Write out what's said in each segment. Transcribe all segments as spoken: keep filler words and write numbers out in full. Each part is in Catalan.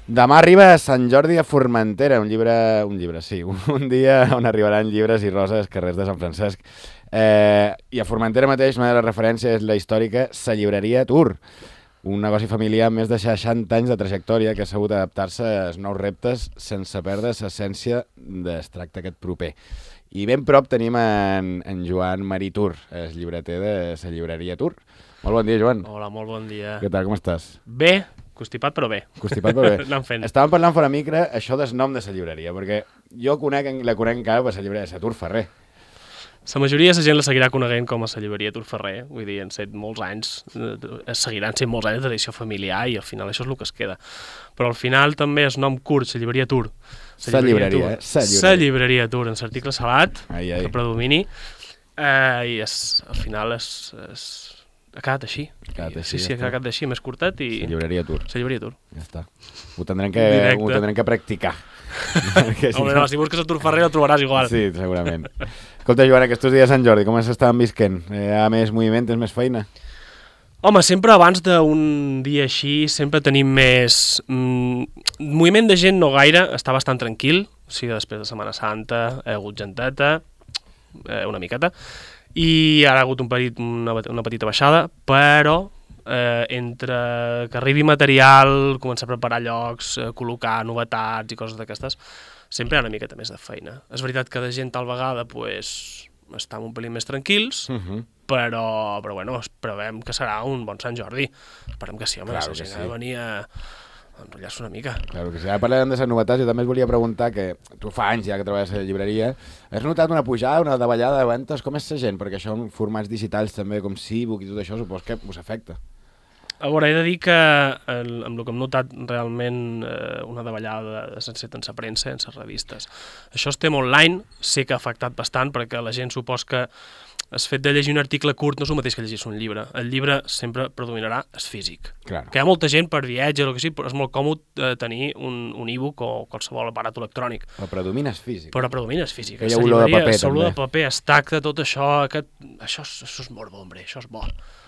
Demà arriba a Sant Jordi a Formentera, un llibre, un llibre, sí, un, un dia on arribaran llibres i roses carrers de Sant Francesc. Eh, I a Formentera mateix, una de les referències és la històrica Sa Llibreria Tour, un negoci familiar amb més de seixanta anys de trajectòria que ha sabut adaptar-se als nous reptes sense perdre l'essència d'es tracta aquest proper. I ben prop tenim en, en Joan Marí Tour, el llibreter de Sa Llibreria Tour. Molt bon dia, Joan. Hola, molt bon dia. Què tal, com estàs? Bé, constipat però bé. Constipat però bé. Anem fent. Estàvem parlant fora micro això del nom de la llibreria, perquè jo conec, la conec encara per la llibreria de la Tour Ferrer. La majoria de la gent la seguirà coneguent com a la llibreria Tour Ferrer, vull dir, han set molts anys, eh, seguiran sent molts anys de tradició familiar i al final això és el que es queda. Però al final també el nom curt, la llibreria Tour. La llibreria, eh? Sa llibreria. La llibreria Tour, en l'article salat, ai, ai. que predomini, eh, i es, al final es, es, ha quedat així. Ha quedat així, sí, sí, ja ha quedat així, més curtet i... La llibreria Tour. La llibreria Tour. Ja està. Ho tindrem que, ho tindrem que practicar. Si Home, no, si busques a Tour Ferrer ho trobaràs igual. Sí, segurament. Escolta, Joan, aquests dies a Sant Jordi, com s'estaven visquent? Hi ha més moviment, és més feina? Home, sempre abans d'un dia així, sempre tenim més... Mm, moviment de gent no gaire, està bastant tranquil, o sigui, després de Setmana Santa hi ha hagut genteta, eh, una miqueta, i ara ha hagut un petit, una, una petita baixada, però eh, entre que arribi material, començar a preparar llocs, eh, col·locar novetats i coses d'aquestes, sempre hi ha una miqueta més de feina. És veritat que de gent tal vegada pues, estan un pelín més tranquils, uh -huh. però, però bueno, esperem que serà un bon Sant Jordi. Esperem que sí, home, claro la gent sí. Ha de venir a enrotllar-se una mica. Claro que sí. Ara parlem de les novetats, jo també es volia preguntar que tu fa anys ja que treballes a la llibreria, has notat una pujada, una davallada de ventes? Com és la gent? Perquè això en formats digitals també, com C-Book i tot això, supos que us afecta. A veure, he de dir que el, amb el que hem notat realment eh, una davallada sense en la premsa, en les revistes. Això estem online, sé que ha afectat bastant perquè la gent supos que el fet de llegir un article curt no és el mateix que llegir un llibre. El llibre sempre predominarà el físic. Claro. Que hi ha molta gent per viatge o el que sigui, però és molt còmode eh, tenir un, un e-book o qualsevol aparat electrònic. Però predomina el físic. Però predomina el físic. Que hi ha olor de paper, també. Olor de paper, es tacta, tot això, aquest, això, és, això és molt bo, hombre, això és bo.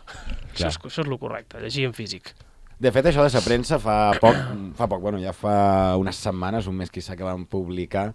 Això és, això és el correcte, llegir en físic. De fet, això de la premsa fa poc, fa poc, bueno, ja fa unes setmanes, un mes quizà, que van publicar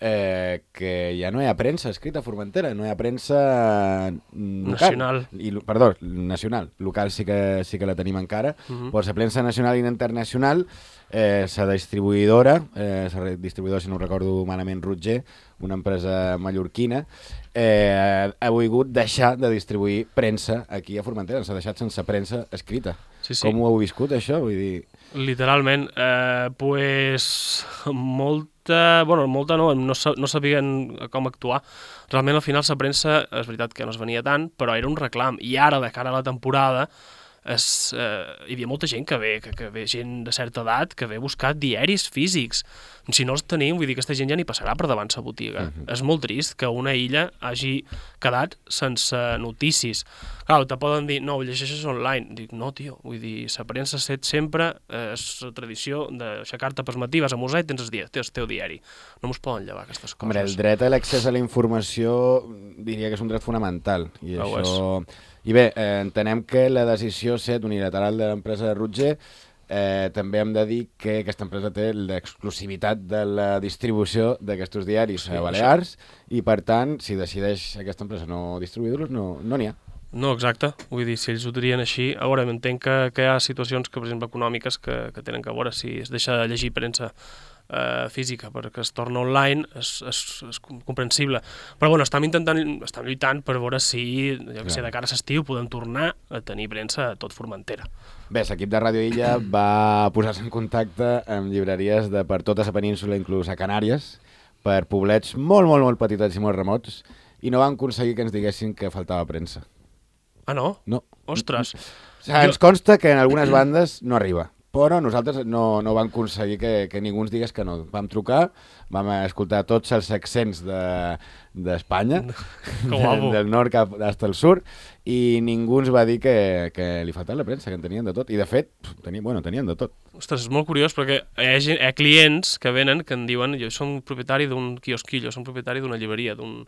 eh, que ja no hi ha premsa escrita a Formentera, no hi ha premsa local. Nacional. I, perdó, nacional. Local sí que, sí que la tenim encara. Uh -huh. Però la premsa nacional i internacional, eh, la distribuïdora, eh, la distribuïdora, si no ho recordo malament, Rutger, una empresa mallorquina, eh, ha volgut deixar de distribuir premsa aquí a Formentera, s'ha deixat sense premsa escrita. Sí, sí. Com ho heu viscut, això? Vull dir... Literalment, eh, pues, molta, bueno, molta no, no, no sabien com actuar. Realment, al final, la premsa, és veritat que no es venia tant, però era un reclam. I ara, de cara a la temporada, es, eh, hi havia molta gent que ve, que, que ve gent de certa edat, que ve a buscar diaris físics. Si no els tenim, vull dir que aquesta gent ja ni passarà per davant la botiga. Uh -huh. És molt trist que una illa hagi quedat sense notícies. Clar, te poden dir, no, ho llegeixes online. Dic, no, tio, vull dir, la premsa set sempre, eh, és la tradició d'aixecar-te per matí, vas a museu i tens el, dia, tens el teu diari. No mos poden llevar aquestes coses. Hombre, el dret a l'accés a la informació diria que és un dret fonamental. I oh, això... I bé, eh, entenem que la decisió set unilateral de l'empresa de Rutger, eh, també hem de dir que aquesta empresa té l'exclusivitat de la distribució d'aquests diaris sí, a Balears això. I per tant, si decideix aquesta empresa no distribuir-los, no n'hi no ha. No, exacte. Vull dir, si ells ho dirien així... A veure, entenc que, que hi ha situacions, que, per exemple, econòmiques, que, que tenen que veure si es deixa de llegir premsa eh, física perquè es torna online, és, és, és comprensible. Però, bueno, estem intentant, estem lluitant per veure si, jo que sé, de cara a l'estiu podem tornar a tenir premsa a tot Formentera. Bé, l'equip de Ràdio Illa va posar-se en contacte amb llibreries de per tota la península, inclús a Canàries, per poblets molt, molt, molt petitets i molt remots, i no van aconseguir que ens diguessin que faltava premsa. Ah, no? No. Ostres. O sigui, ens consta que en algunes bandes no arriba, però nosaltres no, no vam aconseguir que, que ningú ens digués que no. Vam trucar, vam escoltar tots els accents d'Espanya, de, de, del nord cap fins al sud, i ningú ens va dir que, que li faltava la premsa, que en tenien de tot. I de fet, tenien, bueno, tenien de tot. Ostres, és molt curiós, perquè hi ha, gent, hi ha clients que venen que em diuen jo som propietari d'un quiosquillo, som propietari d'una llibreria, d'un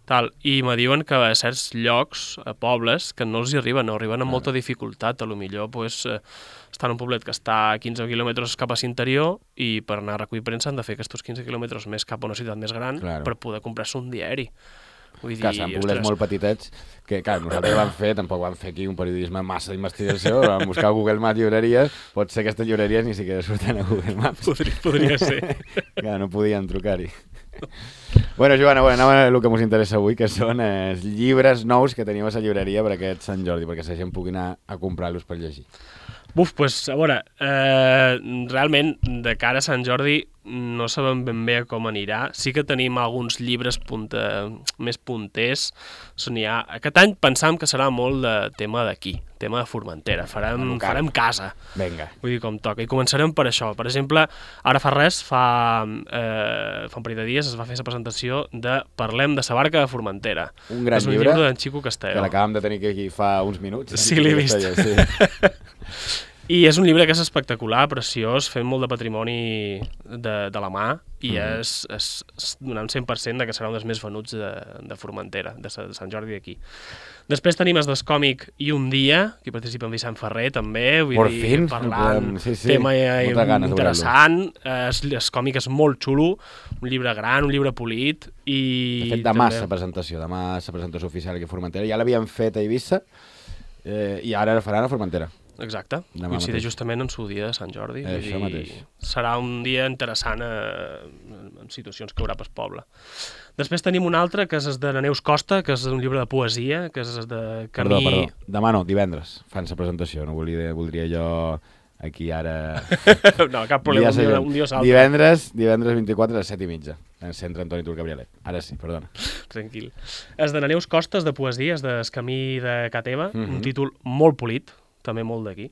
tal, i me diuen que a certs llocs, a pobles, que no els hi arriben, no arriben amb molta dificultat, a lo millor pues, eh, estan en un poblet que està a quinze quilòmetres cap a l'interior i per anar a recollir premsa han de fer aquests quinze quilòmetres més cap a una ciutat més gran Claro. per poder comprar-se un diari. Vull Que dir, són poblets molt petitets, que clar, nosaltres vam fer, tampoc vam fer aquí un periodisme massa d'investigació, vam buscar a Google Maps llibreries, pot ser que aquestes llibreries ni siquiera surten a Google Maps. Podria, podria ser. Clar, no podien trucar-hi. Bueno, Joana, bueno, anem a el que ens interessa avui, que són els eh, llibres nous que teniu a la llibreria per aquest Sant Jordi, perquè la gent pugui anar a comprar-los per llegir. Buf, doncs, a veure, eh, realment, de cara a Sant Jordi no sabem ben bé com anirà. Sí que tenim alguns llibres punta, més punters. N'hi ha. Aquest any pensàvem que serà molt de tema d'aquí, tema de Formentera. Farem, farem casa. Vinga. Vull dir, com toca. I començarem per això. Per exemple, ara fa res, fa, eh, fa un parell de dies es va fer la presentació de Parlem de sa barca de Formentera. Un gran és un llibre, llibre d'en Xico Castelló. que l'acabem de tenir aquí fa uns minuts. Sí, l'he vist. Sí. I és un llibre que és espectacular, preciós, fent molt de patrimoni de, de la mà i mm. és, és, és donant cent per cent de que serà un dels més venuts de, de Formentera, de, de Sant Jordi d'aquí. Després tenim el Descòmic i un dia, que participa en Vicent Ferrer també, vull Por dir, fin, parlant, sí, sí. tema ganes, interessant, el còmic és molt xulo, un llibre gran, un llibre polit i... De fet, demà també... la presentació, demà la presentació oficial aquí a Formentera, ja l'havien fet a Eivissa eh, i ara la faran a Formentera. Exacte, coincideix justament en su dia de Sant Jordi. Això mateix. Serà un dia interessant eh, en situacions que hi haurà pel poble. Després tenim un altre, que és el de la Neus Costa, que és un llibre de poesia, que és el de Camí... Perdó, perdó. Demà no, divendres fan la presentació. No volia, voldria jo aquí ara... no, cap problema, un dia, un dia s'altre. Divendres, divendres vint-i-quatre a les set i mitja, en centre Antoni Tur Gabrielet. Ara sí, perdona. Tranquil. És de la Neus Costa, és de poesia, és de El Camí de Ca Teva, mm -hmm. un títol molt polit, també molt d'aquí.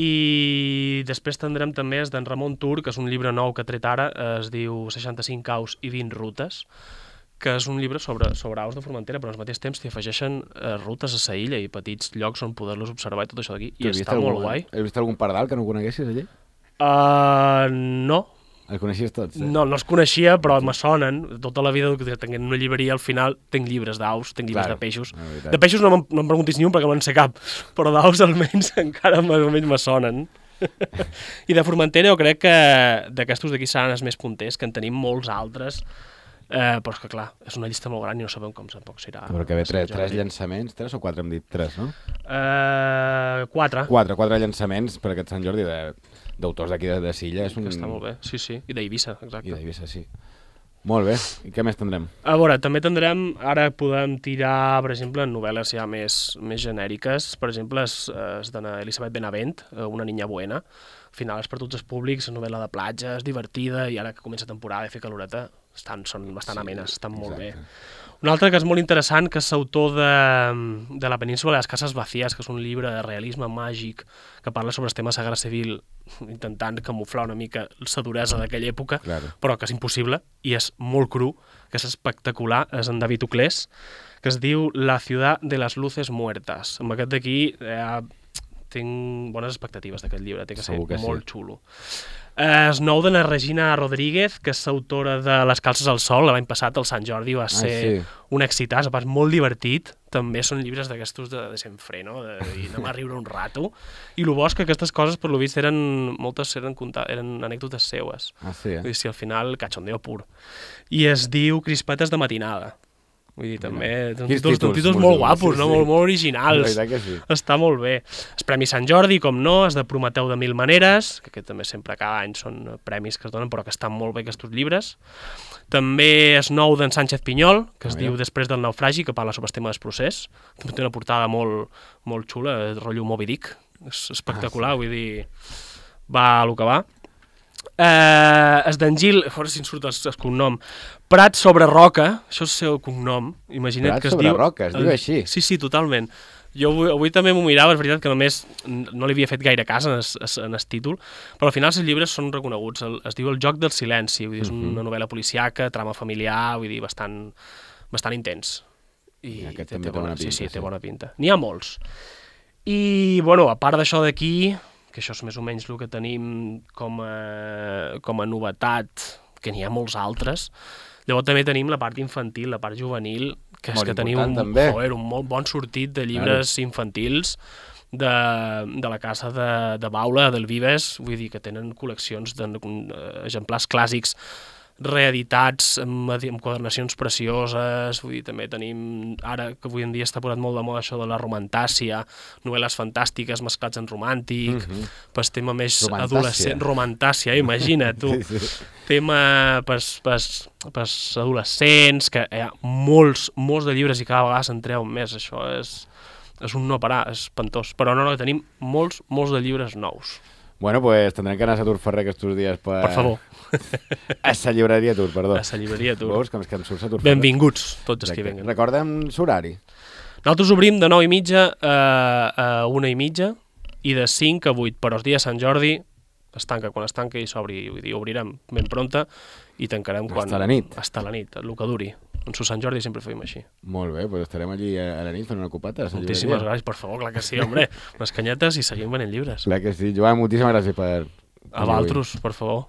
I després tindrem també és d'en Ramon Tur, que és un llibre nou que ha tret ara, es diu seixanta-cinc aus i vint rutes, que és un llibre sobre, sobre aus de Formentera, però al mateix temps t'hi afegeixen eh, rutes a sa illa i petits llocs on poder-los observar i tot això d'aquí, i està algun, molt guai. Has vist algun pardal que no coneguessis allí? Uh, no. Els coneixies tots? Eh? No, no els coneixia, però me sonen. Tota la vida que tenint una llibreria, al final tinc llibres d'aus, tinc llibres claro, de peixos. De peixos no, no em preguntis ni un perquè no en sé cap, però d'aus almenys encara més o menys me sonen. I de Formentera jo crec que d'aquestos d'aquí seran els més punters, que en tenim molts altres, eh, però és que clar, és una llista molt gran i no sabem com tampoc serà. Però que ve tres, tres llançaments, tres o quatre hem dit? Tres, no? Uh, quatre. Quatre, quatre llançaments per aquest Sant Jordi de... d'autors d'aquí de, de Silla. És un... Que està molt bé, sí, sí. I d'Eivissa, exacte. I d'Eivissa, sí. Molt bé. I què més tindrem? A veure, també tindrem, ara podem tirar, per exemple, en novel·les ja més, més genèriques. Per exemple, és, és d'Elisabet Benavent, Una niña buena. Al final és per tots els públics, és novel·la de platja, és divertida, i ara que comença temporada de fer caloreta, estan, són bastant sí, amenes, estan molt exacte. Bé. Un altre que és molt interessant, que és l'autor de, de La península de les cases vacíes, que és un llibre de realisme màgic que parla sobre el tema de la guerra civil, intentant camuflar una mica la duresa d'aquella època, claro. Però que és impossible, i és molt cru, que és espectacular, és en David Uclés, que es diu La ciudad de las luces muertas. Amb aquest d'aquí eh, tinc bones expectatives d'aquest llibre, té que ser que molt sí. xulo. Eh, és nou de la Regina Rodríguez, que és autora de Les calces al sol. L'any passat, el Sant Jordi, va ser ah, sí. un excitàs, a part molt divertit. També són llibres d'aquestos de, de Senfreno, de dir, anem a riure un rato. I el bo és que aquestes coses, per lo vist, eren, moltes eren, eren anècdotes seues. Ah, sí, eh? Vull dir, si al final, cachondeo pur. I es diu Crispetes de matinada. Vull dir, també, són títols, títols, títols molt guapos, sí, no? sí. molt, molt originals. Sí. Està molt bé. El Premi Sant Jordi, com no, és de Prometeu de mil maneres, que aquest també sempre cada any són premis que es donen, però que estan molt bé aquests llibres. També és nou d'en Sánchez Pinyol, que es ah, diu Després del naufragi, que parla sobre el tema del procés. També té una portada molt, molt xula, el rotllo Moby Dick. És espectacular, ah, sí. vull dir, va a lo que va. Uh, és d'en Gil, a veure si em surt el, el cognom, Prat sobre roca, això és el seu cognom, imagina't Prat que es sobre diu... roca, es diu uh, així. Sí, sí, totalment. Jo avui, avui també m'ho mirava, és veritat que només no li havia fet gaire cas en el, en el títol, però al final els llibres són reconeguts. El, es diu El joc del silenci, vull dir, és una novel·la policiaca, trama familiar, vull dir, bastant, bastant intens. I, I aquest té, també té bona, té bona pinta. Sí, sí, té bona pinta. N'hi ha molts. I, bueno, a part d'això d'aquí, que això és més o menys el que tenim com a, com a novetat, que n'hi ha molts altres, Llavors també tenim la part infantil, la part juvenil, que és Molt que tenim important, un, també. joder, un molt bon sortit de llibres claro. infantils de, de la casa de, de Baula, del Vives, vull dir que tenen col·leccions d'exemplars clàssics reeditats, amb, amb quadernacions precioses, vull dir, també tenim, ara que avui en dia està posat molt de moda això de la romantàcia, novel·les fantàstiques mesclats en romàntic, mm -hmm. pues tema més romantàcia. adolescent, romantàcia, imagina't tu, sí, sí. tema pes, pes, pes adolescents, que hi ha molts, molts de llibres i cada vegada se'n treuen més, això és, és un no parar, és espantós, però no, no, tenim molts, molts de llibres nous. Bueno, pues tendrem que anar a Satur Ferrer aquests dies per... Per favor. A sa llibreria Tur, perdó. A sa llibreria Tur. Veus que em, que em surt Satur Ferrer. Benvinguts, tots els que venguen. Recorda'm l'horari. Nosaltres obrim de nou i mitja a, a una i mitja i de cinc a vuit, però els dies Sant Jordi es tanca quan es tanca i s'obri, vull dir, obrirem ben pronta i tancarem quan... Hasta la nit. Hasta la nit, el que duri. En su Sant Jordi sempre fem així. Molt bé, doncs estarem allí a la nit fent una copeta. Moltíssimes gràcies, per favor, clar que sí, hombre. Unes canyetes i seguim venent llibres. Clar que sí. Joan, moltíssimes gràcies per... A vosaltres, per favor.